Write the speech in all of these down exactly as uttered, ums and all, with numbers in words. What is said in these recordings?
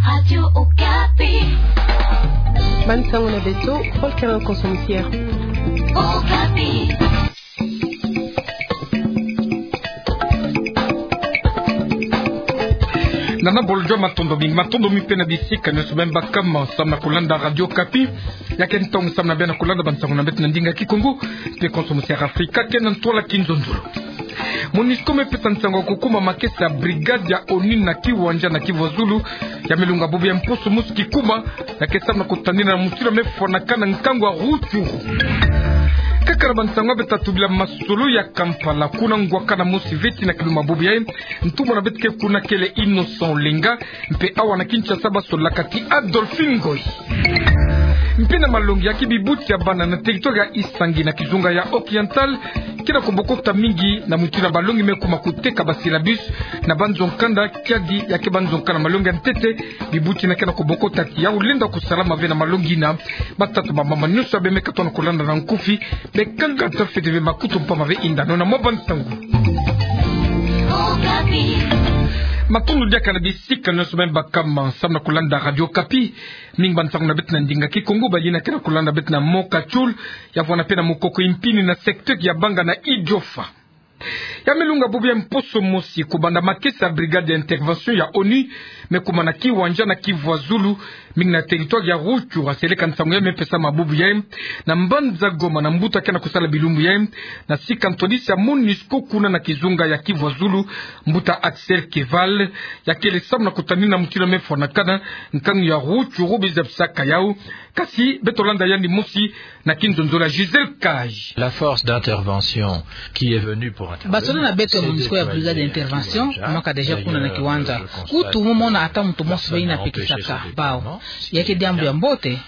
Radio Okapi. Bansango na beto, Paul Karen Konso Musière. Okapi. Nana bolo jua matondo mingi, matondo mingi mpe na bisika nyonso beno baka samu na kulanda Radio Okapi. Ya ke ntangu samu na beno kulanda bansango na beto na ndinga Kikongo, mpe Konso Musière Afrika, ke na ntwala Kinzonzolo. Monusco mepesa nsangu ya kukuma makesa ya brigade ya ONU na Kiwanja na Kivu ya Zulu. Ya melunga bubu ya mposo mosi kikuma, ya ke samu na kutanina na mutindu mefwanakana nkangu ya Rutshuru. Kaka na bansangu ya beto tubila masolo ya Kampala, kuna ngwakana mosi feti na kiluma bubu yayi, ntumwa na beto ke kuna kele Innocent Olenga, mpe awa na Kinshasa basolaka ti Adolphe Ngoyi. Mpe na malongi ya kibibuti ya bana na territoire ya Isangi na kizunga ya Oriental, ke na kobokota mingi na mutindu balongi mekuma koteka ba syllabus na banzo nkanda, kiadi ya ke banzo nkanda malongi ya ntete. Bibuti yina ke na kobokota ti ya lenda kusalama ve na malongi yina. Batata, bamama, nyonso ya beno mekatona kulanda na nkufi, bekangata fete ve makutu mpamba ve yinda nona mwa bansangu. Matondo diaka na bisika nyonso beno baka samu na kulanda Radio Okapi. Mingi bansangu na beto na ndinga Kikongo, bayina ke na kulanda beto na mboka Tchoul, ya vwanda mpe na mokoko Impini na secteur ya Banga na Idiofa. Ya melunga bubu ya mposo mosi, kubanda makesa ya brigade ya intervention ya ONU mekuma na Kiwanja na Kivu ya Zulu, mingi na territoire ya Rutshuru, seleka nsangu ya mepesama bubu yayi na mbanza Goma na mbuta ke na kusala bilumbu yayi, na sika ntwadisi ya Monusco kuna na kizunga ya Kivu ya Zulu, mbuta Axel Keval, ya kele samu na kutanina mutindu mefwanakana nkangu ya Rutshuru, bizabisaka yawu. Kasi beto landa yandi mosi na Kinzonzolo ya Gisèle Cage. La force d'intervention qui est venue pour intervenir. Basoda na beto ya Monusco ya brigade d'intervention bamaka déjà kuna na Kiwanja. Kutu mo mona ata muntu mosi ve yina pekisaka bawu. Ya ke diambu ya mbote,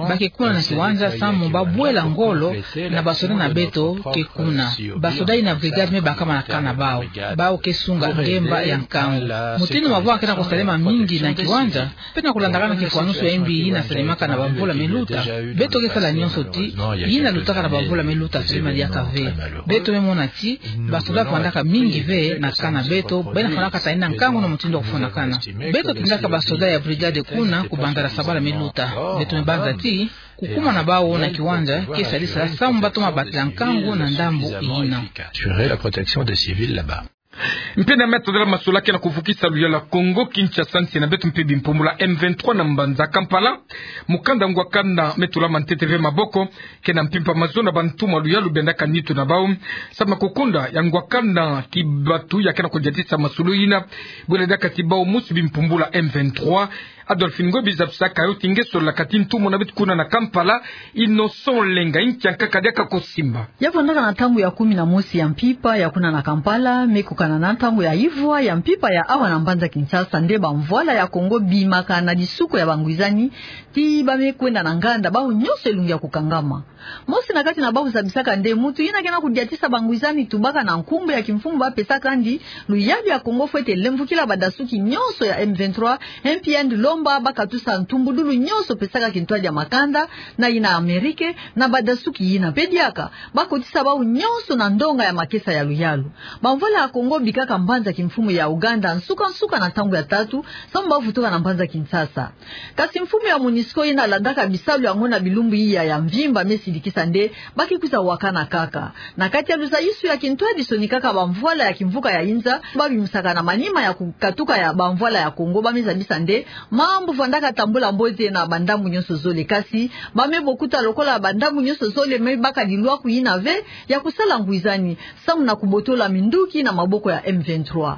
ba ke kuna na Kiwanja samu ba bwela ngolo na basoda na beto ke kuna. Basoda yina brigade me baka mana kana bawu. Bawu ke sunga ngemba ya nkangu. Mutindu mavwanga ke na kusalema mingi na Kiwanja, mpe na kulandakana kifwanusu ya yimbi yina salemaka na bamvula meluta, beto ke sala nyonso ti yina lutaka na bamvula meluta salema diaka ve. Beto me mona ti basoda vandaka mingi ve na camp na beto, bena fwanaka tani na nkangu na mutindu ya kufwanakana. Beto tindaka basoda ya brigade kuna kubanda na sabala meluta. Beto me banza ti kukuma na bawu na Kiwanja ke sadisa samu ba toma batila nkangu na ndambu yina. Assurer la protection des civils là-bas. Mpe na meta dela masolo ke na kuvukisa luyalu ya Kongo Kinshasa, nsi na beto mpe bimpumbulu ya M vingt-trois na mbanza Kampala. Mukanda ngwakana me tulama ntete ve maboko, ke na mpimpa mazono ya bantumwa luyalu bendaka nitu na bawu samu na kukonda ya ngwakana kibatu ya ke na kudiatisa masolo yina. Bwela diaka ti bawu mosi bimpumbulu ya M vingt-trois. Adolphe Ngoyi, bizabisaka yo ti nge solaka ti ntumwa na beto kuna na Kampala, Innocent Olenga, inki ankaka diaka kosimba. Ya vandaka na ntangu ya kumi na mosi ya mpimpa ya kuna na Kampala, me kukana na ntangu ya ivwa ya mpimpa ya awa na mbanza Kinshasa, nde bamvwala ya Kongo bimaka na disuku ya bangwizani ti ba me kwenda na nganda, bawu nyonso elungi ya kukangama. Mosi na kati na bawu zabisaka nde muntu yina ke na kudiatisa bangwizani tubaka na nkumbu ya kimfumu ba pesaka yandi luyalu ya Kongo fwete lemvukila badasuki nyonso ya M vingt-trois, M P N lomba ba katusa ntumbudulu nyonso pesaka kintwadi ya makanda na yina Amerike na badasuki yina. Mpe diaka ba kotisa bawu nyonso na ndonga ya makesa ya luyalu. Bamvwala ya Kongo bikaka mbanza kimfumu ya Ouganda nsuka-nsuka na ntangu ya tatu, samu ba vutuka na mbanza Kinshasa. Kasi mfumu ya Monusco yina landaka bisalu yango na bilumbu iya ya mvimba me sidikisa nde ba ke kwiza wakana kaka. Na kati ya luzayusu ya kintwadi, sonikaka bamvwala ya kimvuka ya inza ba bimisaka na manima ya kukatuka ya bamvwala ya Kongo, ba me zabisa nde mambu vandaka tambula mbote na bandambu nyonso zole, kasi ba me bokuta lokola bandambu nyonso zole me baka lilwaku yina ve ya kusala ngwizani samu na kubotola minduki na maboko ya M vingt-trois.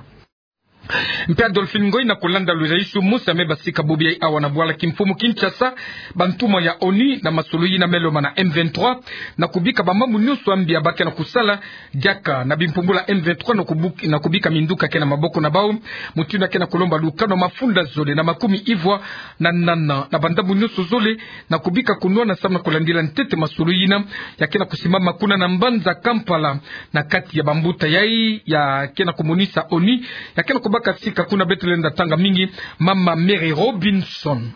Mpe Adolphe Ngoyi, na kulanda luzayusu mosi ya me basika bubu yayi awa na bwala kimfumu Kinshasa, bantumwa ya ONU na masolo yina me lomba na M vingt-trois, na kubika bamambu nyonso ya mbi ya ba ke na kusala diaka na bimpumbulu ya M vingt-trois, na kubu-, na kubika minduki ya ke na maboko na bawu, mutindu ya ke na kulomba lukano mafunda zole na makumi ivwa na nana na bandambu nyonso zole, na kubika kunwana samu na kulandila ntete masolo yina ya ke na kusimbama kuna na mbanza Kampala, na kati ya bambuta yayi ya ke na kumonisa ONU, ya ke na kubaka sika kuna. Beto lenda tanga mingi mama Mary Robinson.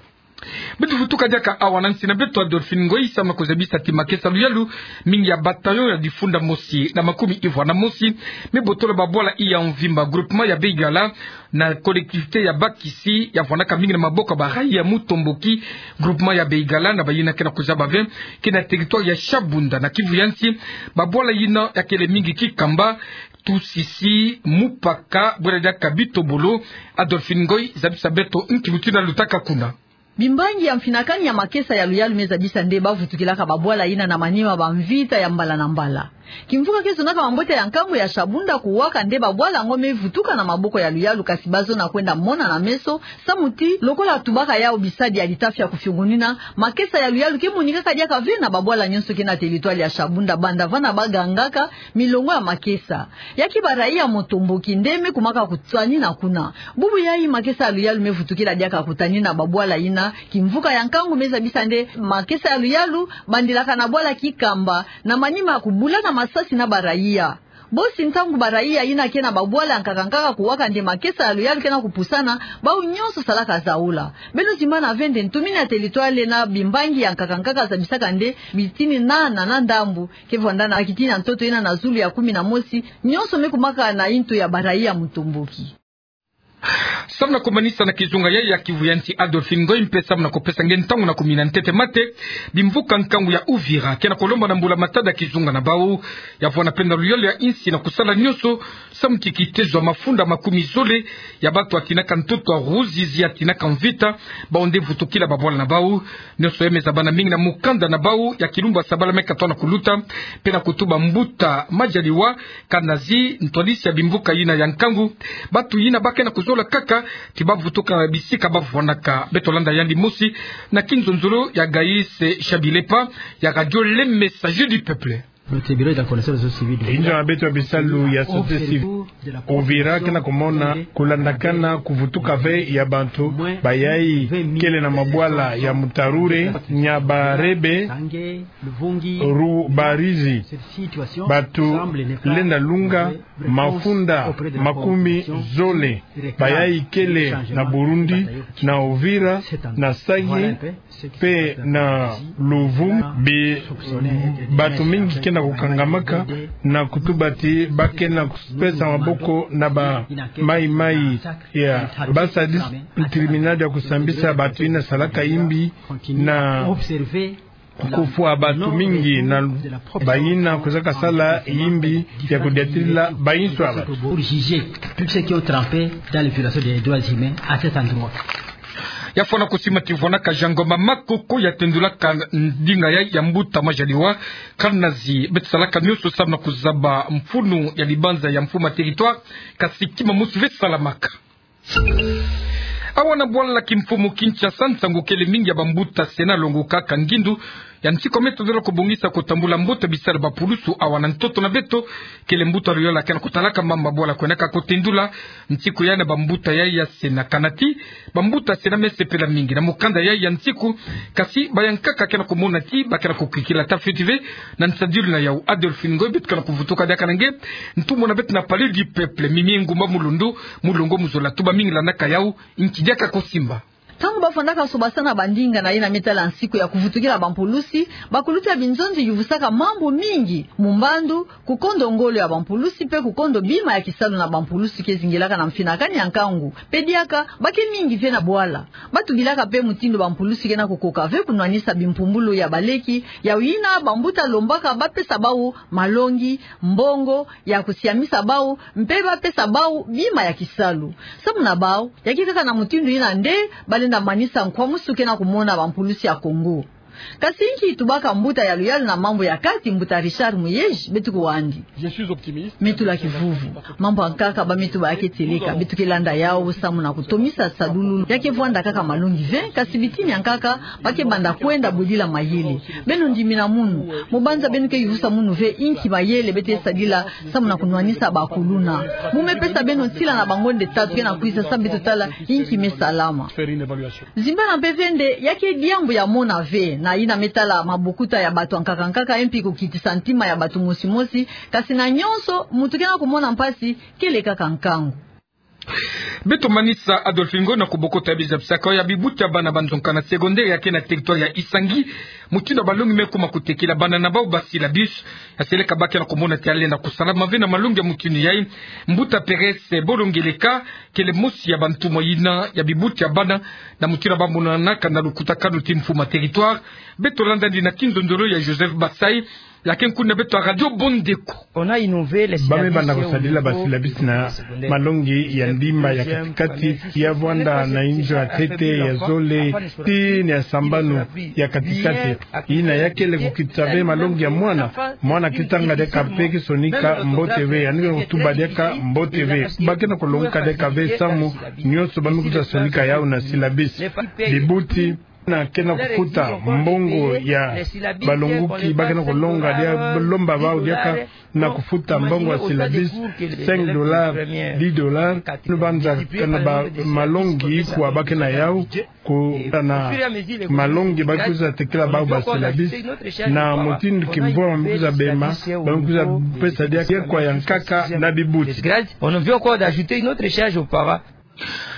Beto vutuka diaka awa na nsi na beto Adolphine Ngoyi samu na kuzabisa ti makesa luyalu mingi ya bataillon ya difunda mosi na makumi ivwa na mosi me botola babwala iya mvimba, groupement ya Beigala, na collectivité ya Bakisi, ya vwandaka mingi na maboko ya baraïa ya Mutomboki, groupement ya Beigala, na bayina ke na kuzaba ve, ke na territoire ya Shabunda, na Kivu ya nsi. Babwala yina ya kele mingi Kikamba, Tusisi, Mupaka, bwela diaka Bitobolo. Adolphine Ngoyi zabisa beto nki mutindu yalutaka kuna. Bimbangi ya mfinakani ya makesa ya luyalu me zabisa nde ba vutukilaka babwala yina na manima ba mvita ya mbala na mbala. Kimvuka ke zonaka mambote ya nkangu ya Shabunda kuwaka nde babwala yango me vutuka na maboko ya luyalu, kasi ba zona kwenda mona na meso, samu ti lokola tubaka yau bisadi ya litafi ya kufiungunina, makesa ya luyalu ke monikaka diaka ve na babwala nyonso ke na territoire ya Shabunda, banda vana ba gangaka milongo ya makesa. Ya ke baraïa ya Mutomboki nde me kumaka kutanina kuna. Bubu yayi makesa ya luyalu me vutukila diaka kutanina babwala yina. Kimvuka ya nkangu me zabisa nde makesa ya luyalu bandilaka na bwala Kikamba, na manima ya kubulana masasi na baraïa. Bosi ntangu baraïa yina ke na babwala ya nkaka nkaka kuwaka nde makesa ya luyalu ke na kupusana, bau nyonso salaka zaula. Beno zimbana ve nde ntumini ya territoire na bimbangi ya nkaka nkaka zabisaka nde bitini nana na ndambu ke vwanda na kitini ya ntoto yina na zulu ya kumi na mosi, nyonso me kumaka na yintu ya baraïa ya Mutomboki. Samu na kumanisa na kizunga yayi ya Kivu ya nsi, Adolphine Ngoyi, mpe samu na kupesa nge ntangu na kumina ntete mate, bimvuka nkangu ya Uvira ke na kulomba na mbula matadi ya kizunga na bau ya vwanda mpe na luyalu ya nsi na kusala nyonso samu ti kitezo ya mafunda makumi zole ya batu ya tinaka ntoto ya Ruzizi, ya tinaka mvita, bau nde vutukila babwala na bau. Nyonso ya me zabana mingi na mukanda na bau ya kilumbu ya sabala me katoa na kuluta, mpe na kutuba mbuta Majaliwa Kanazi, ntwadisi ya bimvuka yina ya nkangu. Batu yina ba ke na kuzola kaka ti ba vutuka na bisika ba vwandaka. Beto landa yandi mosi na kinzonzolo ya Gaïs Chabilepa ya Radio Le Messager du Peuple. Inzo ya beto ya bisalu ya société civile Uvira ke na kumona kulandakana kuvutuka ve ya bantu bayayi kele na mabwala ya Mutarure, Nyabarebe, Rubarizi. Batu lenda lunga mafunda makumi zole bayayi kele na Burundi, na Uvira, na Sake, mpe na Luvu. Bi-, batu mingi ke na kukangamaka na kutuba ti ba ke na kupesa maboko na ba maimai ya ba sadiste criminel ya kusambisa batu yina salaka yimbi na kufwa batu mingi na bayina kwizaka sala yimbi ya kudiatila bainso ya batu. Pour juger tous ceux qui ont trempé dans les violations des droits humains à cet endroit. Ya fwana kusimbama ti vwanaka Jean Ngoma Makoko ya tendulaka ndinga ya, ya mbuta Majaliwa Kanazi. Beto salaka nyonso samu na kuzaba mfunu ya libanza ya mfumu ya territoire, kasi kima mosi ve salamaka. Awa na bwala kimfumu Kinshasa, nsangu kele mingi ya bambuta se na longokaka ngindu ya nsiku me tondolo kubongisa kutambula mbote bisalu ya bapulusu awa na ntoto na beto. Kele mbuta luyala ke na kutalaka mambu ya bwala kwendaka kutendula nsiku yayi na bambuta yayi ya se na kanati. Bambuta se na me sepela mingi na mukanda yayi ya nsiku, kasi bayankaka ke na kumona ti ba ke na kukikila ata fioti ve. Na nsadilu na yau Adolphine Ngoyi, beto ke na kuvutuka diaka na nge ntumwa na beto na Palais du Peuple, Mimi Ngumba Mulundu, mulongo mu zola. Tuba mingi landaka yau, nki diaka kusimba. Ntangu ba fwanaka sobasana bandinga na yina me tala nsiku ya kuvutukila bampulusi, bakulutu ya binzonzi yuvusaka mambu mingi. Mu mbandu, kukondo ngolo ya bampulusi mpe kukondo bima ya kisalu na bampulusi ke zingilaka na mfinakani ya nkangu. Mpe diaka, ba ke mingi ve na bwala. Ba tubilaka mpe mutindu bampulusi ke na kukoka ve kunwanisa bimpumbulu ya baleki, ya yina bambuta lombaka ba pesa bau malongi, mbongo ya kusiamisa bau, mpe ba pesa bau bima ya kisalu. Samu na bau, ya ke kaka na mutindu yina nde ba lenda manisa nkwamusu ke na kumona bampulusi ya Kongo. Kasi nki tubaka mbuta ya luyalu na mambu ya kati, mbuta Richard Muyej? Beto kuwa andi. Je suis optimiste. Me tula kivuvu. Mambu ya nkaka ba me tuba ya ke tieleka, beto ke landa yau samu na kutomisa sadulu. Ya ke vwanda kaka malongi ve, kasi bitini ya nkaka ba ke banda kwenda bwidila mayele. Beno ndimina munu. Mu banza beno ke yuvusa munu ve inki mayele beto ke sadila samu na kunwanisa bakuluna. Mu me pesa beno nsila na bangonde tatu ke na kwiza samu beto tala inki me salama. Zimbana mpe ve nde ya ke diambu ya mona ve na yina me tala mabokuta ya batu ya nkaka nkaka, e mpi kukitisa ntima ya batu mosi mosi, kasi na nyonso, muntu ke na kumona mpasi, kele kaka nkangu. Beto manisa Adolphe Ngoy na kubokota biza bisaka ya bibuti ya bana ba nzonga na secondaire ya ke na territoire ya Isangi. Mutindu ya balongi me kuma kutekila bana na bau ba syllabus. Ya seleka ba ke na kumona ti yalenda kusala mave na malongi ya mutindu yayi. Mbuta Perez Bolongeleka kele mosi ya bantumwa yina ya bibuti ya bana na mutindu ya bamonanaka na lukutakanu ti mfumu ya territoire. Beto landa yandi na kinzonzolo ya Joseph Basai. Lakini kuna beto ya Radio Bondeko. Ba me banda kusadila ba syllabus na malongi ya ndimba ya katikati, ya vwanda na inzo ya ntete, ya zole, tii na ya sambanu ya katikati. Yina ya kele kukitisa ve malongi ya mwana. Mwana kitanga diaka mpe kisonika mbote ve, yandi kutuba diaka mbote ve. Ba ke na kulongoka diaka ve samu nyonso ba me kwiza sonika yau na syllabus. Bibuti na ke na kufuta mbongo ya balongoki, ba ke na kulonga dia lomba bau diaka na kufuta mbongo ya syllabus, cinq dollars, dix dollars. Ni banza kana ba malongi kwa ba ke na yau, kuna malongi ba kwiza tekila bau ba syllabus, na mutindu kimvwama ba kwiza bema, ba kwiza pesa diaka kwa ya nkaka na bibuti. On vient encore d'ajouter une autre charge aux parents.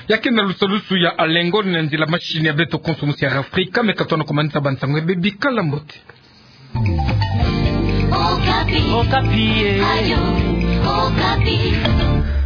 Ya ke na lusalusu ya Alengo na nzila mashini ya beto konso mosi ya Afrika, me ka tona kumanisa bansango ya bebi, kala mbote. Okapi. Okapi, eh. Radio Okapi.